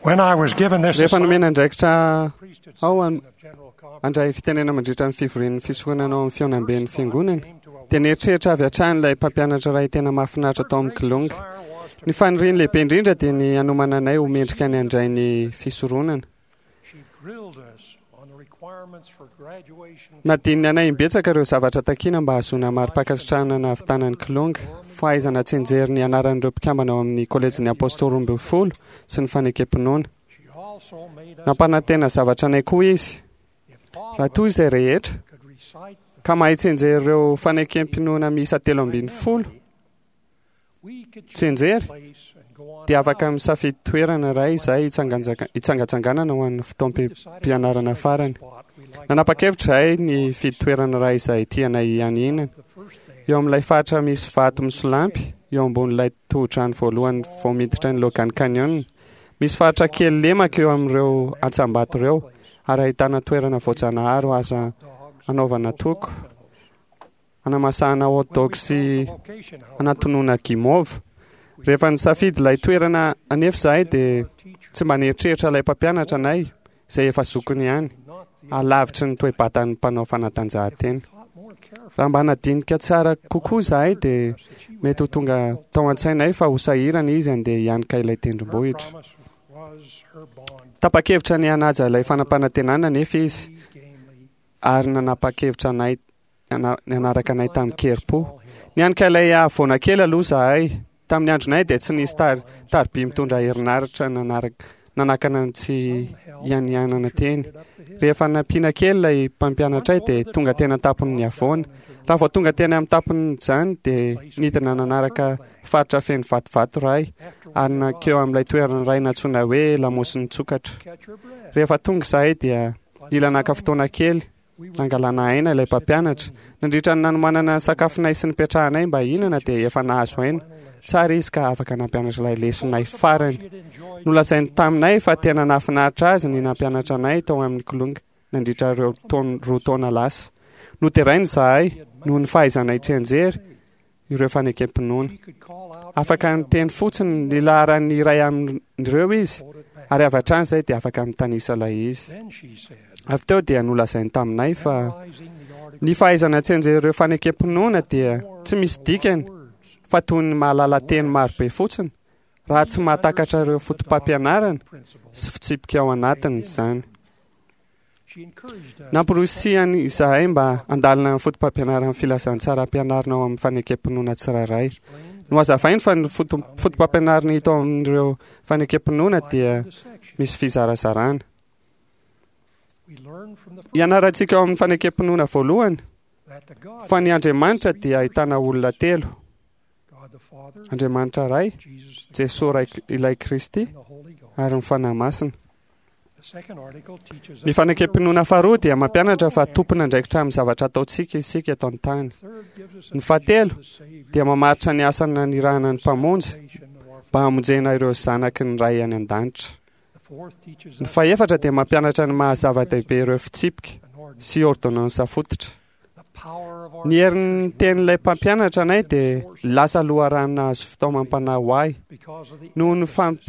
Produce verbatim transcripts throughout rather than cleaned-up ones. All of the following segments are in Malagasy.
When I was given this Rehefa nomena andraikitra priesthood ao section an- of General Conference, handray fitenena mandritra ny fivorian'ny fisoronana ao amin'ny fihaonamben'ny fiangonana, dia nieritreritra avy hatrany ilay mpampianatra iray tena mahafinaritra tao amin'ny Kilonga. desire was to Ny faniriany lehibe indrindra dia ny hanomana anay ho mendrika ny handray ny fisoronana. She grilled us on the requirements for graduation Nadininy anay imbetsaka ireo zavatra takiana mba hahazoana mari-pankasitrahana nahavitana ny Kilonga, fahaizana tsianjery ny anaran'ireo mpikambana ao amin'ny kolejin'ny Apôstôly roa ambin'ny folo sy ny fanekem-pinoana. She also made us Nampanantena zavatra anay koa izy, if all raha of toa us izay rehetra could recite the ka mahay tsianjery ireo fanekem-pinoana miisa telo ambin'ny folo we could choose tsianjery a place and go on dia afaka out. misafidy toerana iray izay hitsanganjaka- hitsangatsanganana ho an'ny fotoam-pianarana farany. Spot we like Nanapa-kevitra izahay ny hifidy toerana iray izay tianay hianiana. the first day Eo amin'ilay faritra misy vato misolampy, eo ambonin'ilay tohodrano voalohany vao miditra ny Logan Canyon. Misy faritra kely lemaka eo amin'ireo antsambato ireo ary ahitana toerana voajanahary ho aza dogs anaovana toko, anamasahana hot dog sy location however, anatonoana gimova. Rehefa nisafidy ilay toerana anefa izahay dia tsy mba nieritreritra ilay mpampianatra anay izay efa zokiny ihany, not the alavitry ny toe-batan'ny mpanao fanatanjahantena. thought more carefully Raha mba nadinika tsara kokoa izahay dia mety ho tonga tao an-tsainay fa ho sahirana izy andeha hianika ilay her tendrombohitra. promise was her bond Tapa-kevitra ny hanaja ilay fanampanantenana nefa izy gamely ary nanapa-kevitra anay nana- nanaraka anay tamin-kerim-po. Nianika ilay havoana kely aloha izahay. Tamin'ny andronay dia tsy nisy tar- tariby mitondra herinaratra nanaraka nanakana ny tsy hianianana teny. Rehefa nampiana kely ilay mpampianatray dia tonga teny an-tampon'ny havoana. Raha vao tonga teny amin'ny tampon'izany dia nidina nanaraka faritra feno vatovato iray ary nankeo amin'ilay toerana iray nantsoina hoe lamosin'ny tsokatra. catch your breath Rehefa tonga izahay dia nila naka fotoana kely nangalana aina ilay mpampianatra. Nandritra ny nanomanana ny sakafonay sy nipetrahanay mba hihinana dia efa nahazo aina. Tsara izy ka afaka nampianatra ilay lesonay farany. she had enjoyed Nolazainy taminay fa tena nahafinaritra azy ny nampianatra anay tao amin'ny Kilonga nandritra ireo taon- roa taona lasa. Noderainy izahay noho ny fahaizanay tsianjery ireo fanekem-pinoana. she could call out Afaka niteny fotsiny ny laharan'ny iray amin'ireo izy quote it back ary avy hatrany izay dia afaka mitanisa ilay izy. then she said Avy teo dia nolazainy taminay fa memorizing the article ny fahaizana tsianjery ireo fanekem-pinoana dia tsy misy dikany words fa toy ny mahalala teny marobe fotsiny raha tsy mahatakatra ireo foto-pampianarana principle sy fitsipika ao anatiny izany. she encouraged us Namporosihany izahay mba handalina ny foto-pampianaran'ny filazantsara ampianarina ao amin'ny fanekem-pinoana tsirairay. explained Nohazavainy fa ny foto- foto-pampianarana hita ao amin'ireo fanekem-pinoana dia the section misy fizarazarana. we learned from the Ianarantsika ao amin'ny fanekem-pinoana voalohany that the God fa ny Andriamanitra dia ahitana olona telo: God the Father Andriamanitra Ray, Jesus the Jesoa Ray ilay Kristy and the Holy Ghost ary ny Fanahy Masina. the second article teaches Ny us fanekem-pinoana faharoa dia mampianatra fa tompon'andraikitra amin'ny zavatra ataontsika isika eto an-tany. the third gives us a Ny fahatelo vision of the Savior dia mamaritra ny asa nanirahana ny Mpamonjy salvation of our mba hamonjena ireo zanaky ny Ray any an-danitra. The fourth teaches Ny us fahefatra dia mampianatra ny maha-zava-dehibe ireo fitsipika an ordinance, sy ordonnansa fototra. the power of our Ny herin'ny tenin'ilay mpampianatra anay dia lasa loharano nahazo fitaomam-panahy ho ahy because of the noho ny fam-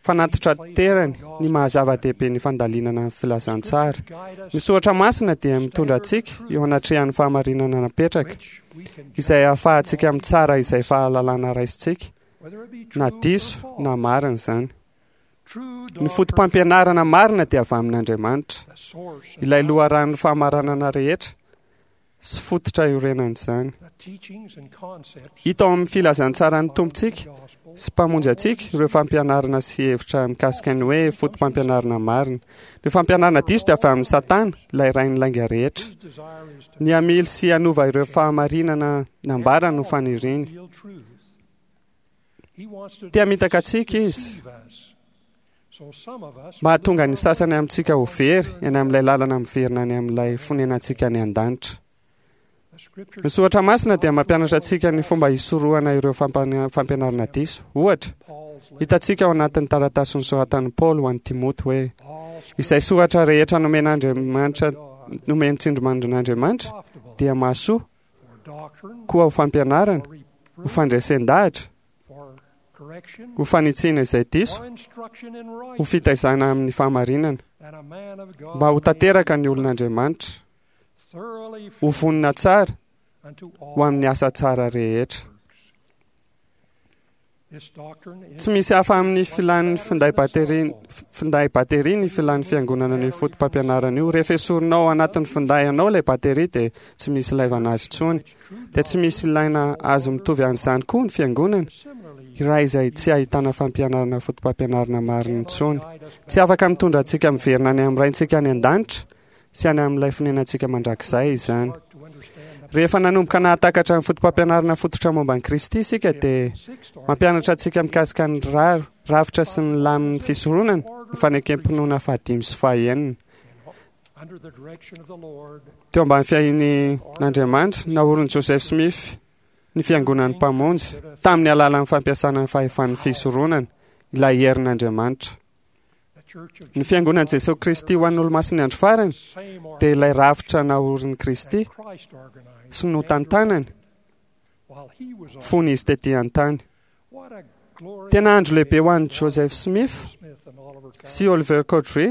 fanatitraterany ny maha-zava-dehibe ny fandalinana ny filazantsara. guide us Ny soratra masina dia mitondra antsika eo anatrehan'ny fahamarinana napetraka which we can izay ahafahantsika mitsara izay fahalalana raisintsika whether it be true na or diso false. na marina izany. True Ny doctrine, foto-pampianarana marina dia avy amin'Andriamanitra, the source of ilay loharanon'ny fahamarinana rehetra sy fototra iorenan'izany. the teachings and concepts Hita ao amin'ny filazantsaran'ny Tompontsika gospel sy mpamonjy antsika ireo fampianarana sy hevitra mikasika ny hoe foto-pampianarana marina. Ny fampianarana diso dia avy amin'ny Satana, ilay rain'ny lainga rehetra. his desire is to Ny hamily sy hanova ireo fahamarinana nambara no faniriany. reveal truth. He wants to Te hamitaka antsika izy deceive us. So some of us mba hahatonga ny sasany amintsika ho very eny amin'ilay lalana miverina any amin'ilay fonenantsika any an-danitra. the scripture Ny soratra masina dia mampianatra antsika ny fomba hisorohana ireo fampana- fampianarana diso. Ohatra, Paul's letter, hitantsika ao anatin'ny taratasy nosoratan'i Paoly ho an'i Timoty hoe all izay soratra rehetra nomen'Andriamanitra God nomen'ny tsindrimandrin'Andriamanitra profitable dia mahasoa for doctrine, koa ho fampianarana, for ho reproof, fandresen-dahatra, for ho fanitsiana izay diso, ho fitaizana amin'ny fahamarinana, mba ho tanteraka ny olon'Andriamanitra, ho vonona tsara ho amin'ny asa tsara rehetra. Tsy misy hafa amin'ny filan'ny finday bateria finday bateria ny filan'ny fiangonana ny foto-pampianarana io. Rehefa esorinao anatin'ny finday anao ilay bateria dia tsy misy ilaivana azy intsony. Dia tsy misy ilaina azy mitovy an'izany koa ny fiangonana iray izay tsy ahitana fampianarana foto-pampianarana marina intsony. Tsy afaka mitondra antsika miverina any amin'ny Raintsika any an-danitra sy any amin'ilay fonenantsika mandrakizay izany. Rehefa nanomboka nahatakatra ny foto-pampianarana fototra momba an'i Kristy isika dia mampianatra antsika mikasika ny rafitra sy ny lamin'ny fisoronana, ny fanekem-pinoana fahadimy sy fahenina. Teo ambany fiahian'Andriamanitra, naorin'i Joseph Smith ny fiangonan'ny Mpamonjy tamin'ny alalan'ny fampiasana ny fahefan'ny fisoronana, ilay herin'Andriamanitra. Ny fiangonan'i Jesosy Kristy ho an'ny olomasin'ny andro farany dia ilay rafitra naorin'i Kristy sy notantanany fony izy tetỳ an-tany. Tena andro lehibe ho an'i Joseph Smith sy Oliver Cowdery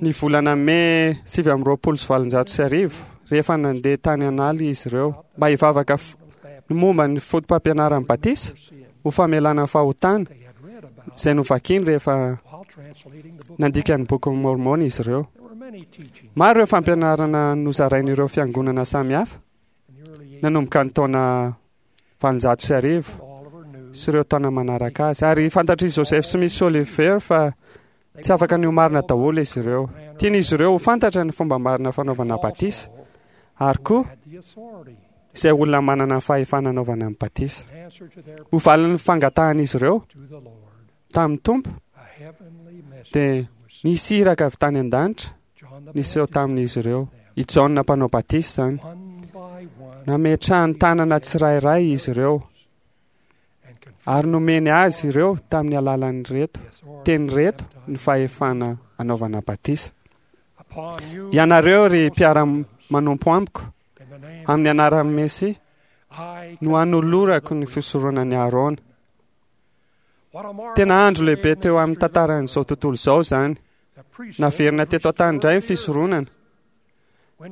ny volana mey sivy amby roapolo sy valonjato sy arivo rehefa nandeha tany an'ala izy ireo mba hivavaka ny momba ny foto-pampianaran'ny batisa ho famelana fahotana izay novakiny rehefa nandika ny boky Mormon izy ireo. Maro ireo fampianarana nozarain'ireo fiangonana samihafa nanomboka ny taona valonjato sy arivo sy ireo taona manaraka azy. Ary fantatr'i Joseph Smith sy Oliver fa tsy afaka ny ho marina daholo izy ireo. Tian'izy ireo ho fantatra ny fomba marina fanaovana batisa ary koa izay olona manana ny fahefana anaovana ny batisa. Ho valin'ny fangatahan'izy ireo tamin'ny Tompo dia nisy iraka avy tany an-danitra niseho tamin'izy ireo. I Jaona mpanao batisa izany. Nametrahany tanana tsirairay izy ireo ary nomeny azy ireo tamin'ny alalan'ireto teny ireto ny fahefana anaovana batisa. Ianareo ry mpiara-manompo amiko, amin'ny anaran'ny Mesia no anolorako ny fisoronan'i Aarona. Tena andro lehibe teo amin'ny tantaran'izao tontolo izao izany. Naverina teto an-tany indray ny fisoronana.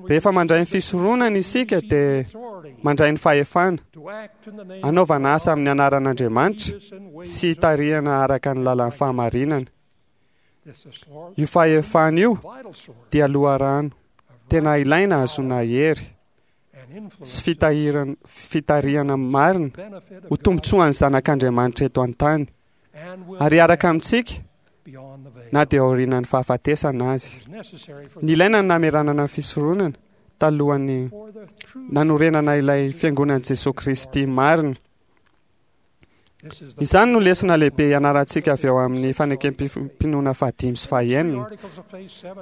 Rehefa mandray ny fisoronana isika dia mandray ny fahefana anaovana asa amin'ny anaran'Andriamanitra sy hitarihana araka ny lalan'ny fahamarinana. Io fahefana io dia loharano tena ilaina ahazoana hery sy fitahirana fitarihana marina ho tombontsoan'ny zanak'Andriamanitra eto an-tany ary araka amintsika na dia aorian'ny fahafatesana azy. Nilaina ny namerenana ny fisoronana talohan'ny nanorenana ilay fiangonan'i Jesosy Kristy marina. Izany no lesona lehibe ianarantsika avy ao amin'ny fanekem-pinoana fahadimy sy fahenina.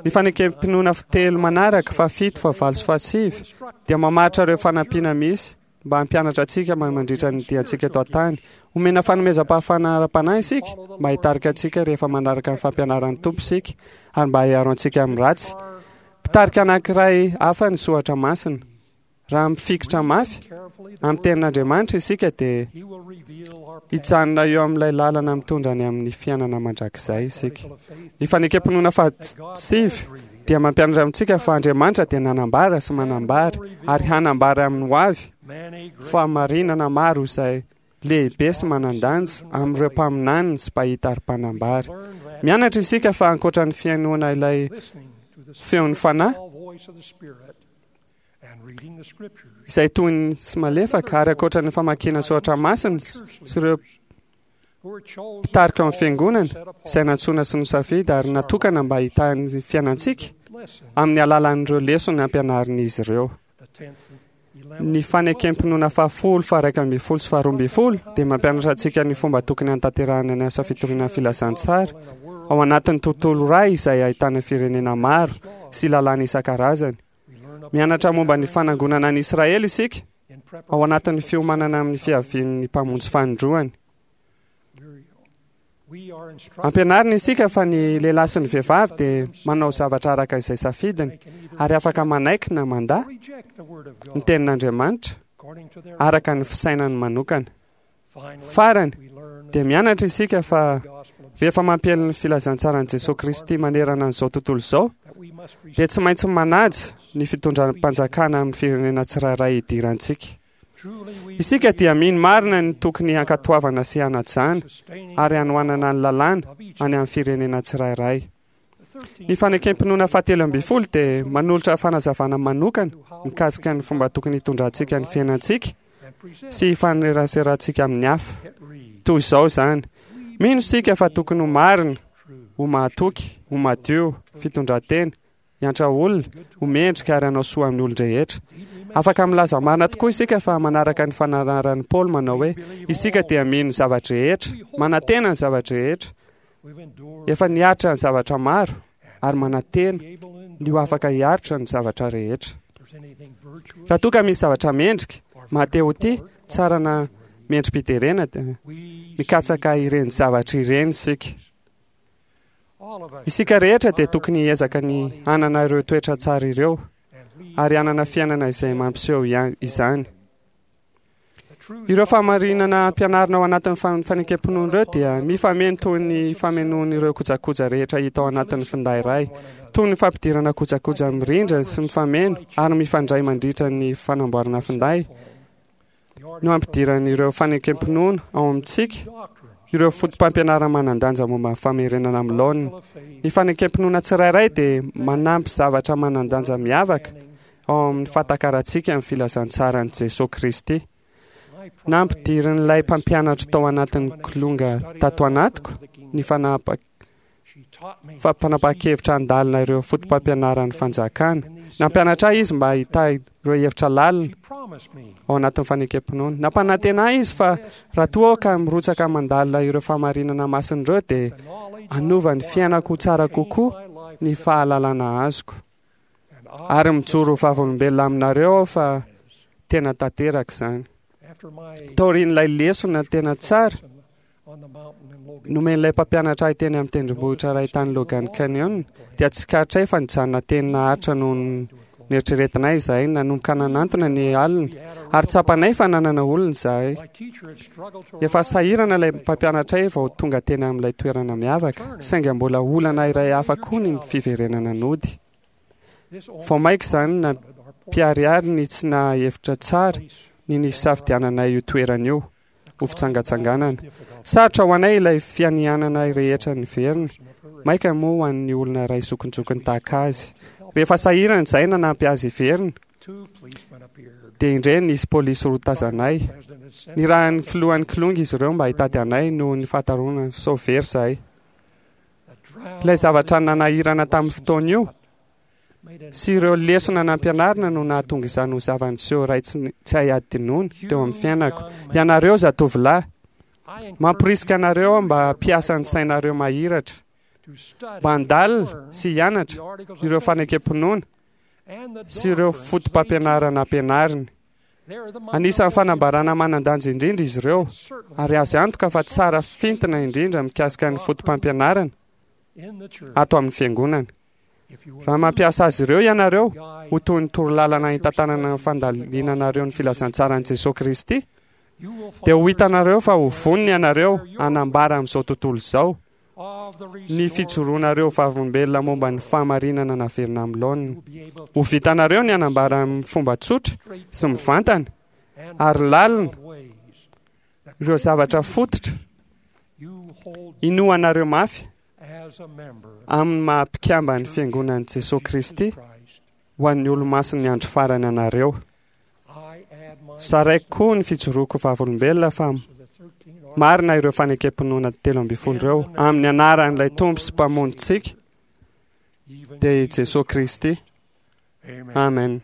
Ny fanekem-pinoana telo manaraka, fahafito, fahavalo sy fahasivy dia mamaritra ireo fanampiana misy mba hampianatra antsika mandritra ny diantsika eto an-tany. Omena fanomezam-pahafahana ara-panahy isika mba hitarika antsika rehefa manaraka ny fampianaran'ny Tompo isika ary mba hiaro antsika amin'ny ratsy. Mpitarika anankiray hafa ny soratra masina. Raha mifikitra mafy amin'ny tenin'Andriamanitra isika dia hijanona eo amin'ilay lalana mitondra any amin'ny fiainana mandrakizay isika. Ny fanekem-pinoana fahasivy dia mampianatra amintsika fa Andriamanitra dia nanambara sy manambara ary hanambara amin'ny ho avy fahamarinana maro izay lehibe sy manan-danja amin'ireo mpaminaniny sy mpahita ary mpanambara. Mianatra isika fa ankoatra ny fihainoana ilay feon'ny fanahy izay toy ny sy malefaka ary ankoatra ny famakiana soratra masina sy ireo mpitarika ao amin'ny fiangonana izay nantsoina sy nosafidy ary natokana mba hitahy ny fiainantsika amin'ny alalan'ireo lesona ampianarin'izy ireo. Ny fanekem-pinoana fahafolo, faharaika ambin'ny folo sy faharoa ambin'ny folo dia mampianatra antsika ny fomba tokony hanatanterahana ny asa fitoriana ny filazantsara ao anatin'ny tontolo iray izay ahitana firenena maro sy lalàna isan-karazany. Mianatra momba ny fanangonana an'i Israely isika ao anatin'ny fiomanana amin'ny fiavian'ny Mpamonjy fanindroany. Ampianarina isika fa ny lehilahy sy ny vehivavy dia manao zavatra araka izay safidiny ary afaka manaiky na mandà ny tenin'Andriamanitra araka ny fisainany manokana. Farany dia mianatra isika fa rehefa mampiely ny filazantsaran'i Jesosy Kristy manerana an'izao tontolo izao dia tsy maintsy manaja ny fitondram-panjakana amin'ny firenena tsirairay idirantsika. Isika dia mino marina ny tokony hankatoavana sy hanajana ary hanohanana ny lalàna any amin'ny firenena tsirairay. Ny fanekem-pinoana fahatelo ambin'ny folo dia manolotra fanazavana manokana mikasika ny fomba tokony hitondrantsika ny fiainantsika sy hifaneraserantsika amin'ny hafa. Toy izao izany: mino isika fa tokony ho marina, ho mahatoky, ho madio, fitondran-tena, hiantra olona, ho mendrika ary hanao soa amin'ny olon-drehetra. Afaka milaza marina tokoa isika fa manaraka ny fananaran'i Paoly manao hoe isika dia mino ny zava-drehetra, manantena ny zava-drehetra, efa niaritra ny zavatra maro ary manantena ny ho afaka hiaritra ny zavatra rehetra. Raha toa ka misy zavatra mendrika, maha-te-ho-tia, tsara na mendri-piderena, dia mikatsaka ireny zavatra ireny isika. Isika rehetra dia tokony hiezaka ny hanana ireo toetra tsara ireo ary hanana fiainana izay mampiseho izany. Ireo fahamarinana ampianarina ao anatin'ny fanekem-pinoana ireo dia mifameno toy ny famenoan'ireo kojakoja rehetra hita ao anatin'ny finday iray, toy ny fampidirana kojakoja mirindra sy mifameno ary mifandray mandritra ny fanamboarana finday no ampidiran'ireo fanekem-pinoana ao amintsika ireo foto-pampianarana manan-danja momba ny famerenana amin'ny laoniny. Ny fanekem-pinoana tsirairay dia manampy zavatra manan-danja miavaka ao amin'ny fahatakarantsika ny filazantsaran'i Jesosy Kristy. Nampidirin'ilay mpampianatra tao anatin'ny kilonga tato anatiko ny fanapahan-kevitra handalina ireo foto-pampianaran'ny fanjakana. Nampianatra ahy izy mba hitahy ireo hevitra lalina ao anatin'ny fanekem-pinoana. Nampanantena ahy izy fa raha toa aho ka mirotsaka mandalina ireo fahamarinana masina ireo dia hanova ny fiainako ho tsara kokoa ny fahalalana azoko. Ary mijoro ho vavolombelona aminareo aho fa tena tanteraka izany. Taorian'ilay lesona tena tsara nomen'ilay mpampianatra ahy teny amin'ny tendrombohitra iray tany Logan Canyon, dia tsikaritray fa nijanona teny naharitra noho ny neritreretinay izahay nanomboka nanantona ny alina ary tsapanay fa nanana olona izahay. Efa sahirana ilay mpampianatray vao tonga teny amin'ilay toerana miavaka, saingy mbola olana iray hafa koa ny fiverenana nody. Vao mainka izany nampiharihary ny tsy nahevitra tsara ny nisafidiananay io toerana io ho fitsangatsanganana. Sarotra ho anay ilay fianianana rehetra niverina, mainka moa ho an'ny olona iray zokinjokiny tahaka azy. Rehefa sahirana izahay nanampy azy hiverina, dia indray nisy polisy roa tazanay. Nirahan'ny filohan'ny kilonga izy ireo mba hitady anay noho ny fahatarona sao very izahay. Ilay zavatra nanahirana tamin'ny fotoana io sy ireo lesona nampianarina no nahatonga izany ho zava-niseho iray tsy hay hadinoina teo amin'ny fiainako. Ianareo zatovolahy, mamporisika anareo aho mba hampiasa ny sainareo mahiratra, mba handalina sy hianatra ireo fanekem-pinoana sy ireo foto-pampianarana ampianariny. Anisan'ny fanambarana manan-danja indrindra izy ireo, ary azo antoka fa tsara fintina indrindra mikasika ny foto-pampianarana ato amin'ny fiangonana. Raha mampiasa azy ireo ianareo ho toy ny torolalana hitantanana ny fandalinanareo ny filazantsaran'i Jesosy Kristy, dia ho hitanareo fa ho vonona ianareo hanambara amin'izao tontolo izao ny fijoroanareo vavolombelona momba ny fahamarinana naverina amin'ny laoniny. Ho vitanareo ny hanambara amin'ny fomba tsotra sy mivantana ary lalina ireo zavatra fototra inoanareo mafy amin'ny maha-mpikamban'ny fiangonan'i Jesosy Kristy ho an'ny olomasin'ny andro farany anareo. Zaraiko koa ny fijoroako vavolombelona fa marina ireo fanekem-pinoana telo ambin'ny folo ireo amin'ny anaran'ilay Tompo sy Mpamonjintsika, dia i Jesosy Kristy. Amen.